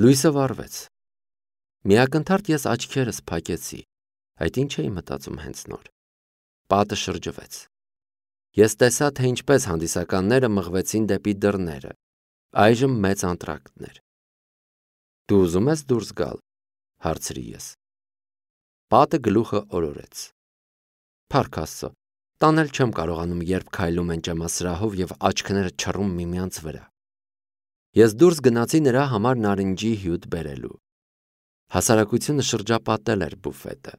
Լույսը վառվեց։ Միակնթարթ ես աչքերս փակեցի։ Այդ ինչ էի մտածում հենց նոր։ Պատը շրջվեց։ Ես տեսա, թե ինչպես հանդիսականները մղվեցին դեպի դռները։ Այժմ մեծ անտրակտն էր։ Դու ուզում ես դուրս գալ, հարցրի ես։ Պատը գլուխը օրորեց։ Փառք Աստծո, տանել չեմ կարողանում, երբ քայլում են ճեմասրահով եւ աչքները չռում միմյանց վրա։ Ես դուրս գնացի նրա համար նարինջի հյութ բերելու։ Հասարակությունը շրջապատել էր բուֆետը։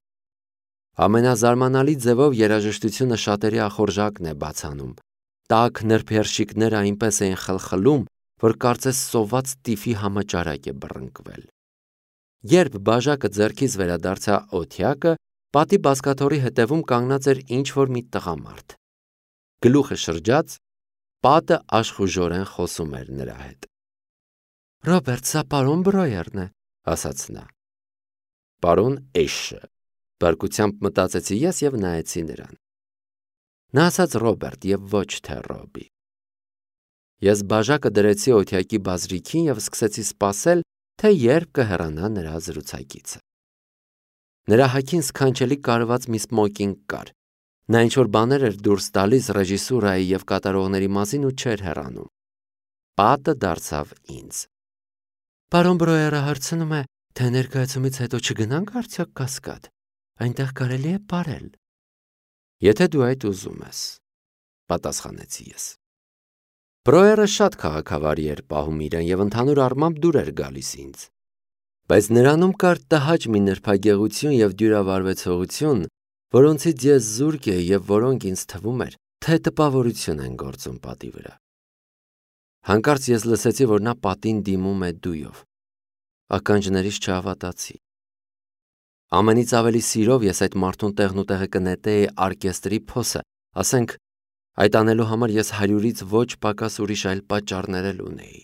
Ամենազարմանալի ձևով երաժշտությունը շատերի ախորժակն է բացանում։ Տաք նրբերշիկները այնպես էին խլխլում, որ կարծես սոված տիֆի համաճարակ է բռնկվել։ Երբ բաժակը ձեռքից վերադարձա օթյակը, պատի բազկաթոռի հետևում կանգնած էր ինչ-որ մի տղամարդ։ Գլուխը շրջած, պատը աշխուժորեն խոսում էր նրա հետ։ Ռոբերտ, սա պարոն Բրոյերն է, ասաց նա։ Պարոն Էշը, բարկությամբ մտածեցի ես եւ նայեցի նրան։ Նա ասաց Ռոբերտ եւ ոչ թե Ռոբի։ Ես բաժակը դրեցի օթյակի բազրիքին եւ սկսեցի սպասել, թե երբ կհեռանա նրա զրուցակիցը։ Նրա հագին սքանչելի կարված մի սմոկինգ կար։ Նա ինչ-որ բաներ էր դուրս տալիս ռեժիսուրայի եւ կատարողների մասին ու չէր հեռանում։ Պատը դարձավ ինձ։ Պարոն Բրոյերը հարցնում է, թե ներկայացումից հետո չգնանք արդյոք Կասկադ։ Այնտեղ կարելի է պարել։ Եթե դու այդ ուզում ես, պատասխանեցի ես։ Բրոյերը շատ քաղաքավարի էր պահում իրեն եւ ընդհանուր առմամբ դուր էր գալիս ինձ։ Բայց նրանում կար տհաճ մի նրբագեղություն եւ դյուրավարվեցողություն, որոնցից ես զուրկ էի եւ որոնք ինձ թվում էր, թե տպավորություն են գործում պատի վրա։ Հանկարծ ես լսեցի, որ նա պատին դիմում է դույով։ Ականջներիս չհավատացի։ Ամենից ավելի սիրով ես այդ մարդուն տեղնուտեղը կնետեի օրկեստրի փոսը, ասենք, այդ անելու համար ես 100-ից ոչ պակաս ուրիշ այլ պատճառներ էլ ունեի։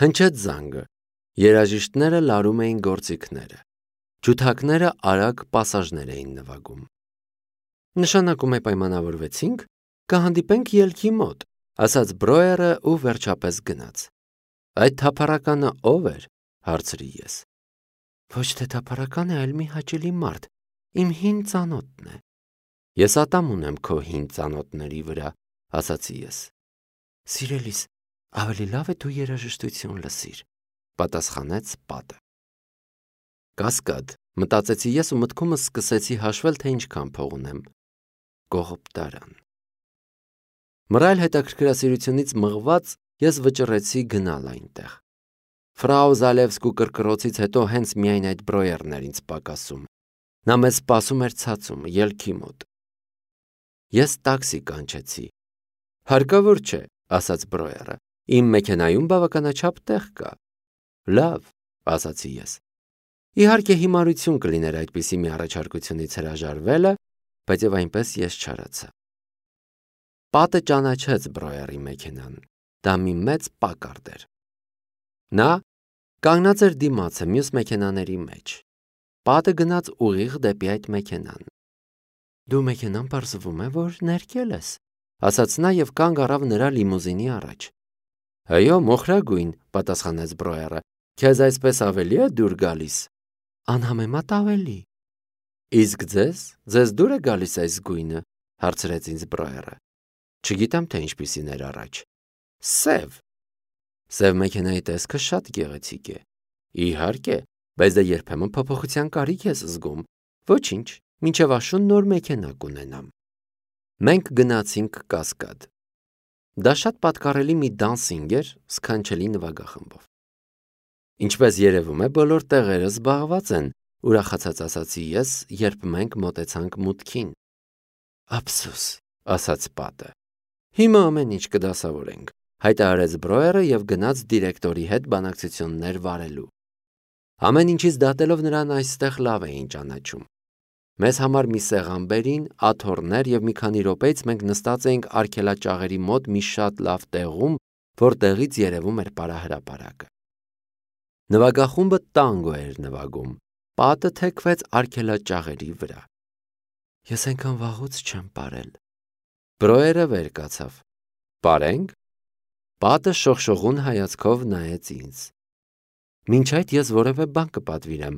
Հնչեց զանգը։ Երաժիշտները լարում էին գործիքները։ Ջութակները արագ պասաժներ էին նվագում։ Նշանակում է պայմանավորվեցինք, կհանդիպենք ելքի մոտ, ասաց Բրոյերը ու վերջապես գնաց։ Այդ թափառականը ով էր, հարցրի ես։ Ոչ թե թափառական է, այլ մի հաճելի մարդ, իմ հին ծանոթն է։ Ես ատամ ունեմ քո հին ծանոթների վրա, ասացի ես։ Սիրելիս, ավելի լավ է դու երաժշտություն լսիր, պատասխանեց պատը։ Կասկադ, մտածեցի ես ու մտքումս սկսեցի հաշվել, թե ինչքան փող ունեմ։ Կողոպտարան։ Մռայլ հետաքրքրասիրությունից մղված ես վճռեցի գնալ այնտեղ։ Ֆրաու Զալևսկու կրկրոցից հետո հենց միայն այդ Բրոյերն էր ինձ պակասում։ Նա մեզ սպասում էր ցածում, ելքի մոտ։ Ես տաքսի կանչեցի։ Հարկավոր չէ, ասաց Բրոյերը։ Իմ մեքենայում բավականաչափ տեղ կա։ Լավ, ասացի ես։ Իհարկե հիմարություն կլիներ այդպիսի մի առաջարկությունից հրաժարվելը, բայց եւ այնպես ես չարացա։ Պատը ճանաչեց Բրոյերի մեքենան։ Դա մի մեծ Պակարդ էր։ Նա կանգնած էր դիմացը մյուս մեքենաների մեջ։ Պատը գնաց ուղիղ դեպի այդ մեքենան։ Դու մեքենան պարզվում է, որ ներկել ես, ասաց նա եւ կանգ առավ նրա լիմուզինի առաջ։ Այո, մոխրագույն, պատասխանեց Բրոյերը։ Քեզ այսպես ավելի է դուր գալիս։ Անհամեմատ ավելի։ Իսկ ձեզ դուր է գալիս այս գույնը, հարցրեց ինձ Բրոյերը։ Չգիտեմ, թե ինչպիսին էր առաջ։ Սև։ Սև մեքենայի տեսքը շատ գեղեցիկ է։ Իհարկե, բայց դա երբեմն փոփոխության կարիք ես զգում։ Ոչինչ, մինչև աշուն նոր մեքենա կունենամ։ Մենք գնացինք Կասկադ։ Դա շատ պատկառելի մի դանսինգ էր սքանչելի նվագախմբով։ Ինչպես երևում է, բոլոր տեղերը զբաղված են, ուրախացած ասացի ես, երբ մենք մոտեցանք մուտքին։ Ափսոս, ասաց պատը։ Հիմա ամեն ինչ կդասավորենք, հայտարարեց Բրոյերը եւ գնաց դիրեկտորի հետ բանակցություններ վարելու։ Ամեն ինչից դատելով նրան այստեղ լավ էին ճանաչում։ Մեզ համար մի սեղան բերին, աթոռներ եւ մի քանի րոպեից մենք նստած էինք արգելաճաղերի մոտ մի շատ լավ տեղում, որտեղից երևում էր պարահրապարակը։ Նվագախումբը տանգո էր նվագում։ Պատը թեքվեց արգելաճաղերի վրա։ Ես այնքան վաղուց չեմ պարել։ Բրոյերը վեր կացավ։ Պարենք։ Պատը շողշողուն հայացքով նայեց ինձ։ Մինչ այդ ես որևէ բան կպատվիրեմ,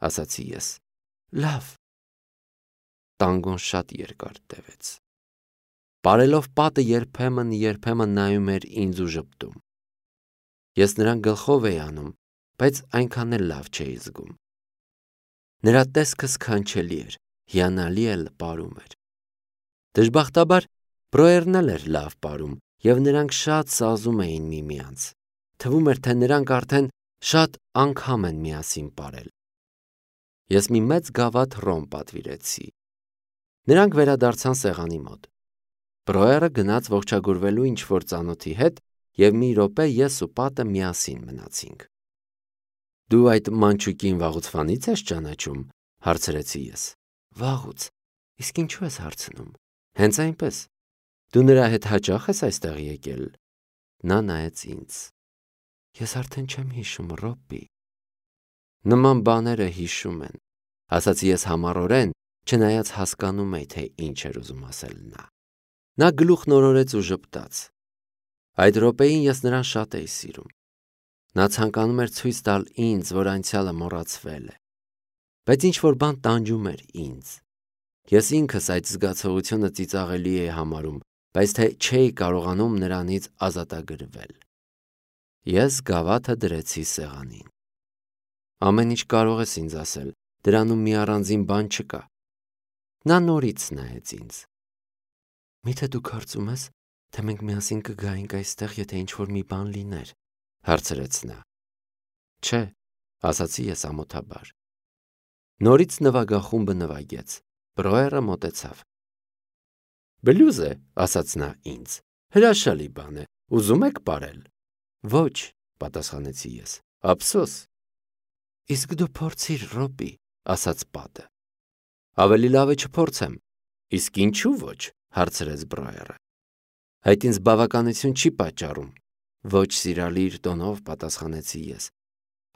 ասացի ես։ Լավ։ Տանգոն շատ երկար տևեց։ Պարելով պատը երբեմն նայում էր ինձ ու ժպտում։ Ես նրան գլխով էի անում, բայց այնքան էլ լավ չէի զգում։ Նրա տեսքը սքանչելի էր, հիանալի էլ պարում էր։ Դժբախտաբար Բրոերն էլ էր լավ պարում, և նրանք շատ սազում էին միմյանց։ Թվում էր, թե նրանք արդեն շատ անգամ են միասին պարել։ Ես մի մեծ գավաթ ռոմ պատվիրեցի։ Նրանք վերադարձան սեղանի մոտ։ Բրոերը գնաց ողջագուրվելու ինչ-որ ծանոթի հետ, և մի րոպե ես ու պատը միասին մնացինք։ Դու այդ մանչուկին վաղուց ես ճանաչում, հարցրեցի ես։ Վաղուց, իսկ ինչու ես հարցնում։ Հենց այնպես։ Դու նրա հետ հաճախ ես այստեղ եկել։ Նա նայեց ինձ։ Ես արդեն չեմ հիշում, Ռոբբի։ Նման բաները հիշում են, ասացի ես համառորեն, չնայած հասկանում էի, թե ինչ էր ուզում ասել նա։ Նա գլուխն օրորեց ու ժպտաց։ Այդ րոպեին ես նրան շատ էի սիրում։ Նա ցանկանում էր ցույց տալ ինձ, որ անցյալը մոռացվել է։ Բայց ինչ-որ բան տանջում էր ինձ։ Ես ինքս այդ զգացողությունը ծիծաղելի էի համարում, բայց թե չէի կարողանում նրանից ազատագրվել։ Ես գավաթը դրեցի սեղանին։ Ամեն ինչ կարող ես ինձ ասել, դրանում մի առանձին բան չկա։ Նա նորից նայեց ինձ։ Միթե դու կարծում ես, թե մենք միասին կգայինք այստեղ, եթե ինչ-որ մի բան լիներ, հարցրեց նա։ Չէ, ասացի ես ամոթաբար։ Նորից նվագախումբը նվագեց։ Բրոերը մոտեցավ։ Բլյուզ է, ասաց նա ինձ։ Հրաշալի բան է, ուզում եք պարել։ Ոչ, պատասխանեցի ես, ափսոս։ Իսկ դու փորձիր, Ռոբբի, ասաց պատը։ Ավելի լավ է չփորձեմ։ Իսկ ինչու ոչ, հարցրեց Բրոերը։ Այդ ինձ բավականություն չի պատճառում։ Ոչ սիրալիր տոնով պատասխանեցի ես։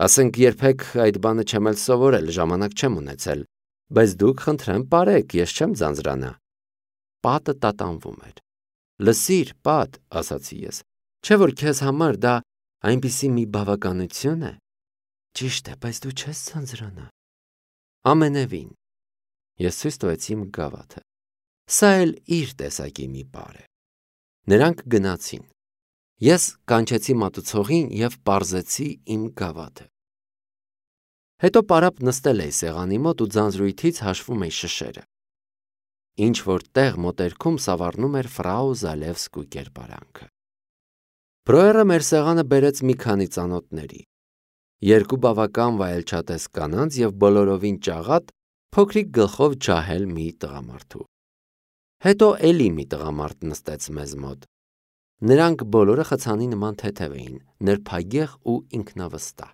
Ասենք երբեք այդ բանը չեմ էլ սովորել, ժամանակ չեմ ունեցել, բայց դուք խնդրեմ պարեք, ես չեմ ձանձրանա։ Պատը տատանվում էր։ Լսիր, Պատ, ասացի ես, չէ՞ որ քեզ համար դա այնպիսի մի բավականություն է։ Ճիշտ է, բայց դու չես ձանձրանա։ Ամենևին։ Ես ցույց տվեցի իմ գավաթը։ Սա էլ իր տեսակի մի պար է։ Նրանք գնացին։ Ես կանչեցի մատուցողին և պարզեցի իմ գավաթը։ Հետո պարապ նստել էի սեղանի մոտ ու ձանձրույթից հաշվում էի շշերը։ Ինչ-որ տեղ մոտերքում սավառնում էր ֆրау Զալևսկու կերպարանքը։ Բրոերը մեր սեղանը բերեց մի քանի ծանոթների։ Երկու բավական վայելչատես կանանց և բոլորովին ճաղատ, փոքրիկ գլխով ջահել մի տղամարդու։ Հետո էլի մի տղամարդ նստեց մեզ մոտ։ Նրանք բոլորը խցանի նման թեթև էին, նրբագեղ ու ինքնավստահ։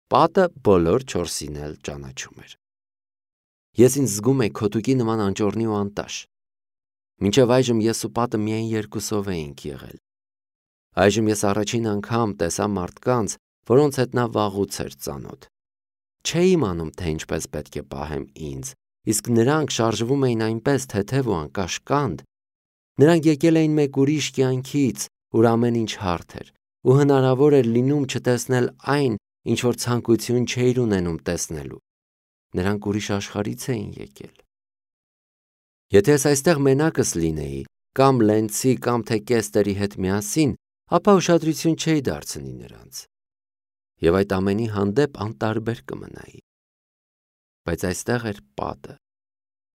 Պատը բոլոր չորսին էլ ճանաչում էր։ Ես ինձ զգում էի քոտուկի նման անճոռնի ու անտաշ։ Մինչև այժմ ես ու պատը միայն երկուսով էինք եղել։ Այժմ ես առաջին անգամ տեսա մարդկանց, որոնց հետ նա վաղուց էր ծանոթ։ Չէի իմանում, թե ինչպես պետք է պահեմ ինձ, իսկ նրանք շարժվում էին այնպես թեթև ու անկաշկանդ։ Նրանք եկել էին մեկ ուրիշ կյանքից, ուր ամեն ինչ հարթ էր, ու հնարավոր էր լինում չտեսնել այն, ինչ որ ցանկություն չէիր ունենում տեսնելու։ Նրանք ուրիշ աշխարհից էին եկել։ Եթե ես այստեղ մենակս լինեի, կամ Լենցի, կամ թե Կեստերի հետ միասին, ապա ուշադրություն չէի դարձնի նրանց։ Եվ այդ ամենի հանդեպ անտարբեր կմնայի։ Բայց այստեղ էր պատը։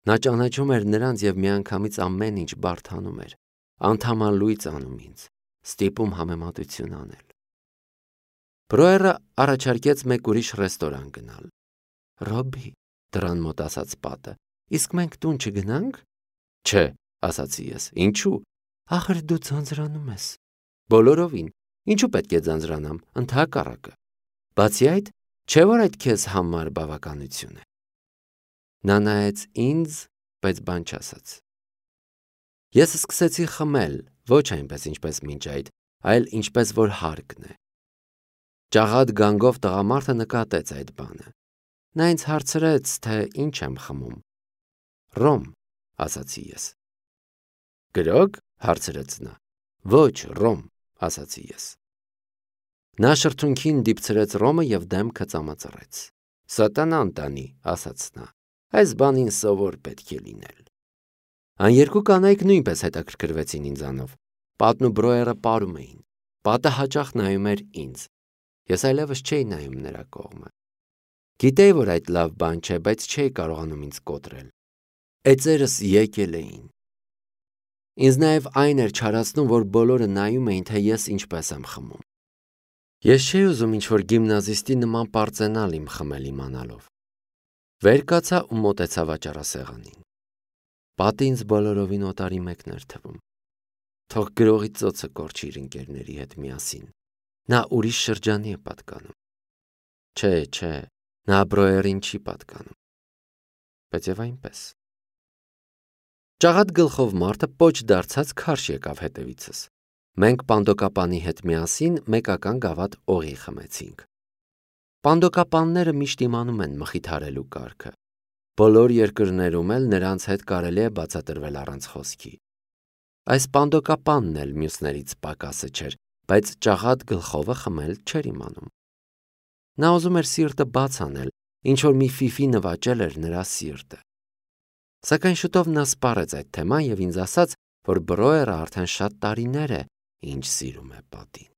Նա ճանաչում էր նրանց և միանգամից ամեն ինչ բարդանում էր, անդամալույծ անում ինձ, ստիպում համեմատություն անել։ Բրոերը առաջարկեց մեկ ուրիշ ռեստորան գնալ։ Ռոբբի, դռան մոտ ասաց պատը, իսկ մենք տուն չգնանք։ Չէ, ասացի ես, ինչու։ Ախր դու ձանձրանում ես։ Բոլորովին, ինչու պետք է ձանձրանամ, ընդհակառակը։ Բացի այդ, չէ՞ որ այդ քեզ համար բավականություն է։ Նա նայեց ինձ, բայց բան չասաց։ Ես սկսեցի խմել, ոչ այնպես ինչպես մինչ այդ, այլ ինչպես որ հարկն է։ Ճաղատ գանգով տղամարդը նկատեց այդ բանը։ Նա ինձ հարցրեց, թե ինչ եմ խմում։ Ռոմ, ասացի ես։ Գրոգ, հարցրեց նա։ Ոչ, ռոմ, ասացի ես։ Նա շրթունքին դիպցրեց ռոմը և դեմքը ծամածռեց։ Սատանան տանի, ասաց նա, այս բանին սովոր պետք է լինել։ Այն երկու կանայք նույնպես հետաքրքրվեցին ինձանով։ Պատն ու Բրոյերը պարում էին։ Պատը հաճախ նայում էր ինձ։ Ես այլևս չէի նայում նրա կողմը։ Գիտեի, որ այդ լավ բան չէ, բայց չէի կարողանում ինձ կոտրել։ Էծերս եկել էին։ Ինձ նաև այն էր չարացնում, որ բոլորը նայում էին, թե ես ինչպես եմ խմում։ Ես չէի ուզում ինչ-որ գիմնազիստի նման պարծենալ իմ խմել իմանալով։ Վեր կացա ու մոտեցա վաճառասեղանին։ Պատը ինձ բոլորովին օտարի մեկն էր թվում։ Թող գրողի ծոցը կորչի իր ընկերների հետ միասին։ Նա ուրիշ շրջանի է պատկանում։ Չէ, նա Բրոյերին չի պատկանում։ Բայց եւ այնպես։ Ճաղատ գլխով մարդը պոչ դարձած քարշ եկավ հետևիցս։ Մենք պանդոկապանի հետ միասին մեկական գավաթ օղի խմեցինք։ Պանդոկապանները միշտ իմանում են մխիթարելու կարգը։ Բոլոր երկրներում էլ նրանց հետ կարելի է բացատրվել առանց խոսքի։ Այս պանդոկապանն էլ մյուսներից պակասը չէր, բայց ճաղատ գլխովը խմել չէր իմանում։ Նա ուզում էր սիրտը բաց անել, ինչ որ մի ֆիֆի նվաճել էր նրա սիրտը։ Սակայն շուտով նա սպառեց այդ թեման և ինձ ասաց, որ Բրոյերը արդեն շատ տարիներ է, ինչ սիրում է պատին։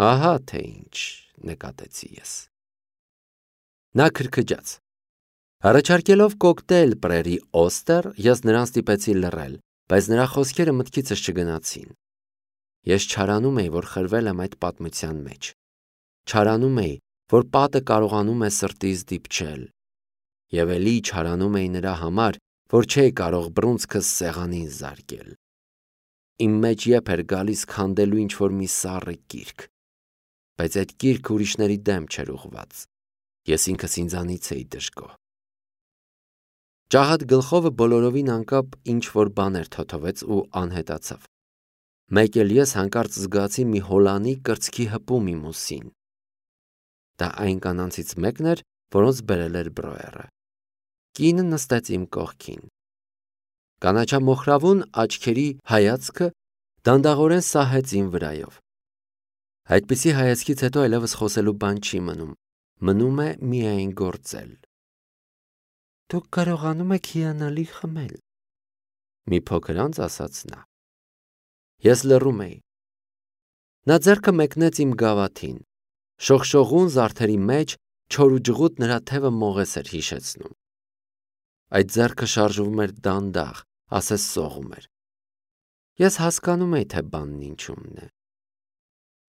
Ահա թե ինչ, նկատեցի ես։ Նա քրքջաց։ Առաջարկելով կոկտեյլ Պրերի Օստեր, ես նրան ստիպեցի լռել, բայց նրա խոսքերը մտքիցս չգնացին։ Ես չարանում էի, որ խրվել եմ այդ պատմության մեջ։ Չարանում էի, որ պատը կարողանում է սրտից դիպչել։ Եվ էլի չարանում էի նրա համար, որ չէի կարող բռունցքս սեղանին զարկել։ Իմ մեջ եփ էր գալիս քանդելու ինչ-որ մի սառը կիրք, բայց այդ կիրքը ուրիշների դեմ չէր ուղղված։ Ես ինքս ինձանից էի դժգոհ։ Ճաղատ գլխովը բոլորովին անկապ ինչ-որ բաներ թոթվեց ու անհետացավ։ Մեկ էլ ես հանկարծ զգացի մի հոլանի կրծքի հպում իմ ուսին։ Դա այն կանանցից մեկն էր, որոնց բերել էր Բրոյերը։ Կինը նստեց իմ կողքին։ Կանաչամոխրավուն աչքերի հայացքը դանդաղորեն սահեց իմ վրայով։ Այդպիսի հայացքից հետո այլևս խոսելու բան չի մնում։ Մնում է միայն գործել։ Դուք կարողանում եք հիանալի խմել, մի փոքր անց ասաց նա։ Ես լռում էի։ Նա ձեռքը մեկնեց իմ գավաթին։ Շողշողուն զարդերի մեջ չոր ու ջղուտ նրա թևը մողես էր հիշեցնում։ Այդ ձեռքը շարժվում էր դանդաղ, ասես սողում էր։ Ես հասկանում էի, թե բանն ինչումն է։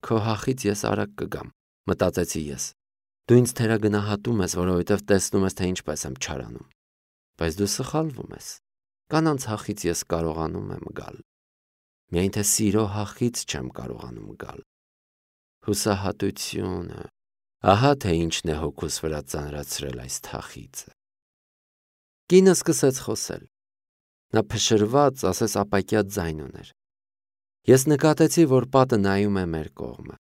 Քո հախից ես արագ կգամ, մտածեցի ես։ Դու ինձ թերագնահատում ես, որովհետև տեսնում ես, թե ինչպես եմ չարանում։ Բայց դու սխալվում ես։ Կանանց հախից ես կարողանում եմ գալ։ Միայն թե սիրո հախից չեմ կարողանում գալ։ Հուսահատությունը, ահա թե ինչն է հոգուս վրա ծանրացրել այս թախիծը։ Կինը սկսեց խոսել։ Նա փշրված, ասես ապակյա ձայն ուներ։ Ես նկատեցի, որ պատը նայում է մեր կողմը։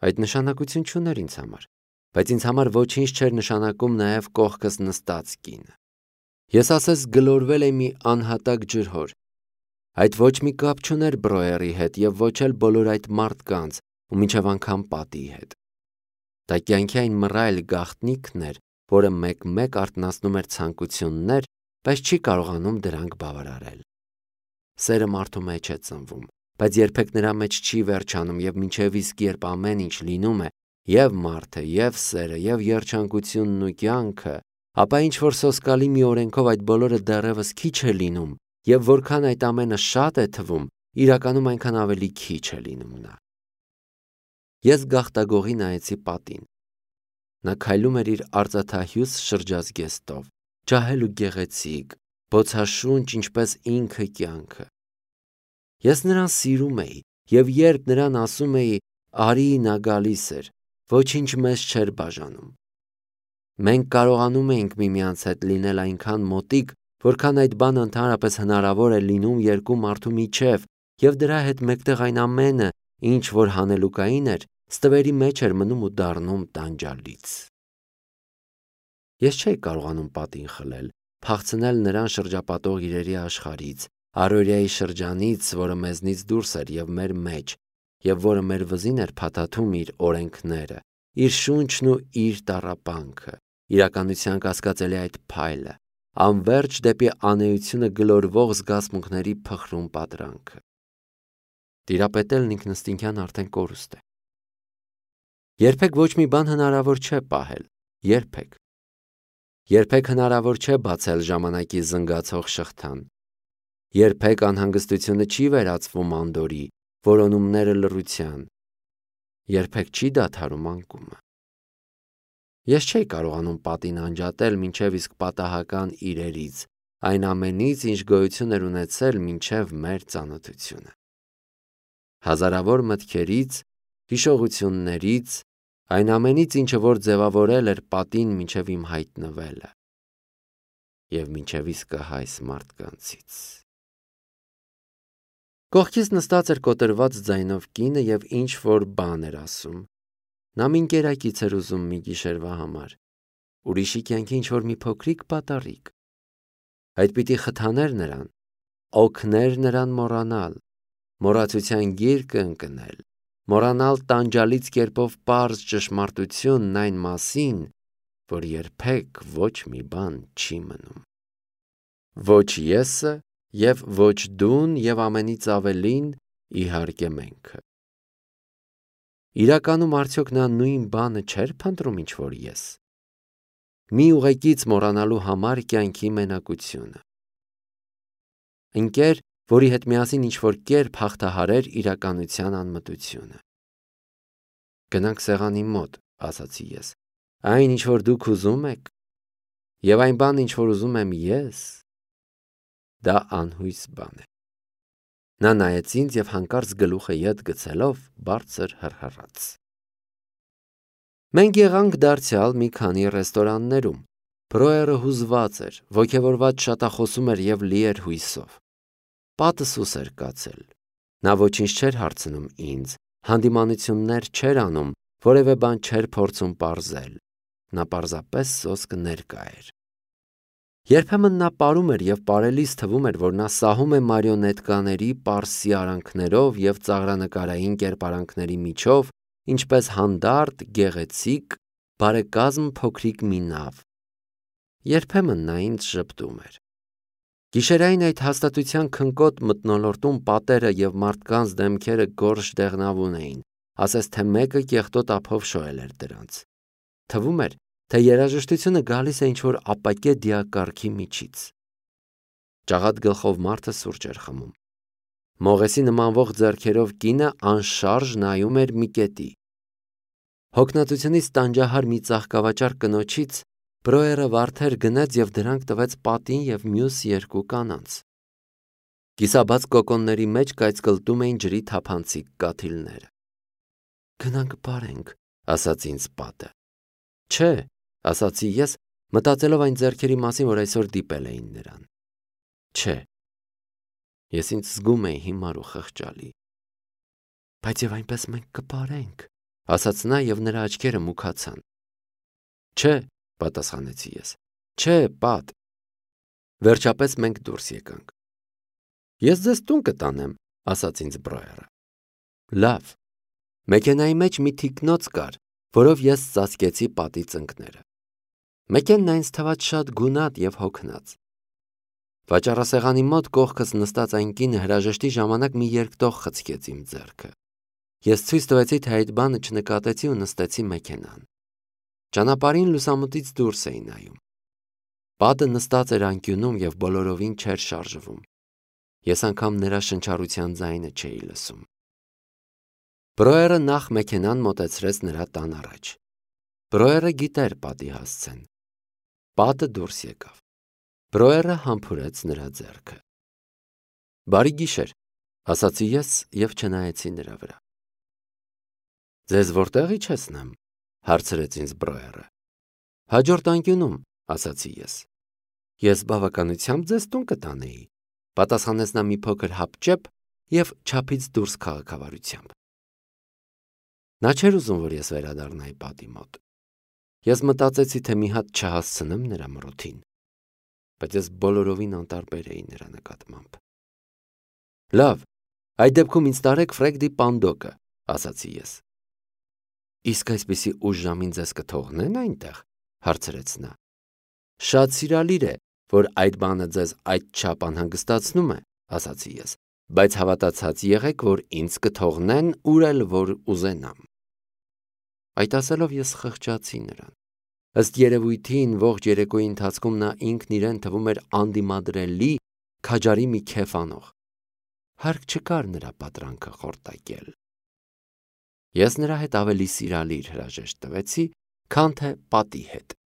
Այդ նշանակություն չուներ ինձ համար, բայց ինձ համար ոչինչ չէր նշանակում նաև կողքս նստած կինը։ Ես ասես գլորվել էի մի անհատակ ջրհոր։ Այդ ոչ մի կապ չուներ Բրոյերի հետ և ոչ էլ բոլոր այդ մարդկանց ու մինչև անգամ պատի հետ։ Դա կյանքի այն մռայլ գաղտնիքն էր, որը մեկ-մեկ արթնացնում էր ցանկություններ, բայց չի կարողանում դրանք բավարարել։ Սերը մարդու մեջ է ծնվում, բայց երբեք նրա մեջ չի վերջանում և մինչև իսկ երբ ամեն ինչ լինում է, և մարդը, և սերը, և երջանկությունն ու կյանքը, ապա ինչ-որ սոսկալի մի օրենքով այդ բոլորը դեռևս քիչ է լինում, և որքան այդ ամենը շատ է թվում, իրականում այնքան ավելի քիչ է լինում նա։ Ես գաղտագողի նայեցի պատին։ Նա քայլում էր իր արծաթահյուս շրջազգեստով, ջահել ու գեղեցիկ, բոցաշունչ, ինչպես ինքը կյանքը։ Ես նրան սիրում էի, և երբ նրան ասում էի «արի» նա գալիս էր, ոչինչ մեզ չէր բաժանում։ Մենք կարողանում էինք միմյանց հետ լինել այնքան մոտիկ, որքան այդ բանը ընդհանրապես հնարավոր է լինում երկու մարդու միջև, և դրա հետ մեկտեղ այն ամենը, ինչ որ հանելուկային էր, ստվերի մեջ էր մնում ու դառնում տանջալից։ Ես չէի կարողանում պատին խլել, փախցնել նրան շրջապատող իրերի աշխարհից, առօրյայի շրջանից, որը մեզնից դուրս էր և մեր մեջ, եւ որը մեր վզին էր փաթաթում իր օրենքները, իր շունչն ու իր տառապանքը, իրականության կասկածելի այդ փայլը, անverջ դեպի անեությունը գլորվող զգացմունքների փխրուն պատրանքը։ Տիրապետելն ինքնըստինքյան արդեն կորուստ է։ Երբեք ոչ մի բան հնարավոր չէ պահել, երբեք։ Երբեք հնարավոր չէ բացել ժամանակի զնգացող շղթան։ Երբեք անհանգստությունը չի վերածվում անդորի, որոնումները լռության։ Երբեք չի դադարում անկումը։ Ես չէի կարողանում պատին անջատել մինչև իսկ պատահական իրերից, այն ամենից, ինչ գոյություն էր ունեցել մինչև մեր ծանոթությունը։ Հազարավոր մտքերից, հիշողություններից, այն ամենից, ինչը որ ձևավորել էր պատին մինչև իմ հայտնվելը և մինչև իսկը հայս մարդկանցից։ Կողքից նստած էր կոտրված ձայնով կինը և ինչ-որ բան էր ասում։ Նա մի ընկերակից էր ուզում մի գիշերվա համար, ուրիշի կյանքի ինչ-որ մի փոքրիկ պատառիկ։ Այդ պիտի խթաներ նրան, օգներ նրան մոռանալ, մոռացության գիրկը ընկնել, մոռանալ տանջալից կերպով պարզ ճշմարտությունն այն մասին, որ երբեք ոչ մի բան չի մնում։ Ոչ եսը և ոչ դուն և ամենից ավելին, իհարկե menքը։ Իրականում արդյոք նա նույն բանը չէր փնտրում ինչ-որ ես։ Մի ուղեկից մոռանալու համար կյանքի մենակությունը։ Ընկեր, որի հետ միասին ինչ-որ կերպ հաղթահարեր իրականության անմտությունը։ Գնանք սեղանի մոտ, ասացի ես, այն ինչ որ դուք ուզում եք, և այն բանը ինչ որ ուզում եմ ես, դա անհույս բան է։ Նա նայեց ինձ և հանկարծ գլուխը ետ գցելով բարձր հռհռաց։ Մենք եղանք դարձյալ մի քանի ռեստորաններում։ Բրոյերը հուզված էր, ոգևորված շատախոսում էր և լի էր հույսով։ Պատը սուս էր կացել։ Նա ոչինչ չէր հարցնում ինձ, հանդիմանություններ չէր անում, որևէ բան չէր փորձում պարզել։ Նա պարզապես սոսկ ներկա էր։ Երբեմն նա պարում էր և պարելիս թվում էր, որ նա սահում է մարիոնետկաների պարզ սիարանքներով և ծաղրանկարային կերպարանքների միջով, ինչպես հանդարտ, գեղեցիկ, բարեկազմ փոքրիկ մի նավ։ Երբեմն նա ինձ ժպտում էր։ Գիշերային այդ հաստատության քնկոտ մթնոլորտում պատերը և մարդկանց դեմքերը գորշ դեղնավուն էին, ասես թե մեկը կեղտոտ ափով շոյել էր դրանց։ Թվում էր, թե երաժշտությունը գալիս է ինչ-որ ապակե դիակառքի միջից։ Ճաղատ գլխով մարդը սուրճ էր խմում։ Մողեսի նմանվող ձեռքերով կինը անշարժ նայում էր մի կետի։ Հոգնածությունից տանջահար մի ծաղկավաճառ կնոջից Բրոյերը վարդեր գնեց և դրանք տվեց պատին և մյուս երկու կանանց։ Կիսաբաց կոկոնների մեջ կայծկլտում էին ջրի թափանցիկ կաթիլները։ Գնանք պարենք, ասաց ինձ պատը։ Չէ, ասացի ես, մտածելով այն ձեռքերի մասին, որ այսօր դիպել էին նրան։ Չէ։ Ես ինձ զգում էի հիմար ու խղճալի։ Բայց և այնպես մենք կպարենք, ասաց նա և նրա աչքերը մուգացան։ Չէ, պատասխանեցի ես։ Չէ, պատ։ Վերջապես մենք դուրս եկանք։ Ես ձեզ տուն կտանեմ, ասաց ինձ Բրոյերը։ Լավ։ Մեքենայի մեջ մի թիկնոց կար, որով ես ծածկեցի պատի ծնկները։ Մեքենան ինձ թվաց շատ գունատ և հոգնած։ Վաճառասեղանի մոտ կողքս նստած այն կինը հրաժեշտի ժամանակ մի երկտող խցկեց իմ ձեռքը։ Ես ցույց տվեցի, թե այդ բանը չնկատեցի ու նստեցի մեքենան։ Ճանապարհին լուսամուտից դուրս էի նայում։ Պատը նստած էր անկյունում և բոլորովին չէր շարժվում։ Ես անգամ նրա շնչառության ձայնը չէի լսում։ Բրոյերը նախ մեքենան մոտեցրեց նրա տան առաջ։ Բրոյերը գիտեր պատի հասցեն։ Պատը դուրս եկավ։ Բրոյերը համբուրեց նրա ձեռքը։ Բարի գիշեր, ասացի ես և չնայեցի նրա վրա։ Ձեզ որտեղ իջեցնեմ, հարցրեց ինձ Բրոյերը։ Հաջորդ անկյունում, ասացի ես։ Ես բավականությամբ ձեզ տուն կտանեի, պատասխանեց նա մի փոքր հապճեպ և չափից դուրս քաղաքավարությամբ։ Նա չէր ուզում, որ ես վերադառնայի պատի մոտ։ Ես մտածեցի, թե մի հատ չհասցնեմ նրա մռութին, բայց ես բոլորովին անտարբեր էի նրա նկատմամբ։ Լավ, այդ դեպքում ինձ տարեք Ֆրեգդի Պանդոկը, ասացի ես։ Իսկ այսպիսի ուշ ժամին ձեզ կթողնեն այնտեղ, հարցրեց նա։ Շատ սիրալիր է, որ այդ բանը ձեզ այդչափ անհանգստացնում է, ասացի ես, բայց հավատացած եղեք, որ ինձ կթողնեն ուր էլ որ ուզենամ։ Այդ ասելով ես խղճացի նրան։ Ըստ երևույթին ողջ երեկոյի ընթացքում նա ինքն իրեն թվում էր անդիմադրելի, քաջարի մի քեֆ անող։ Հարկ չկար նրա պատրանքը խորտակել։ Ես նրա հետ ավելի սիրալիր հրաժեշտ տվեցի, քան թե պատի հետ։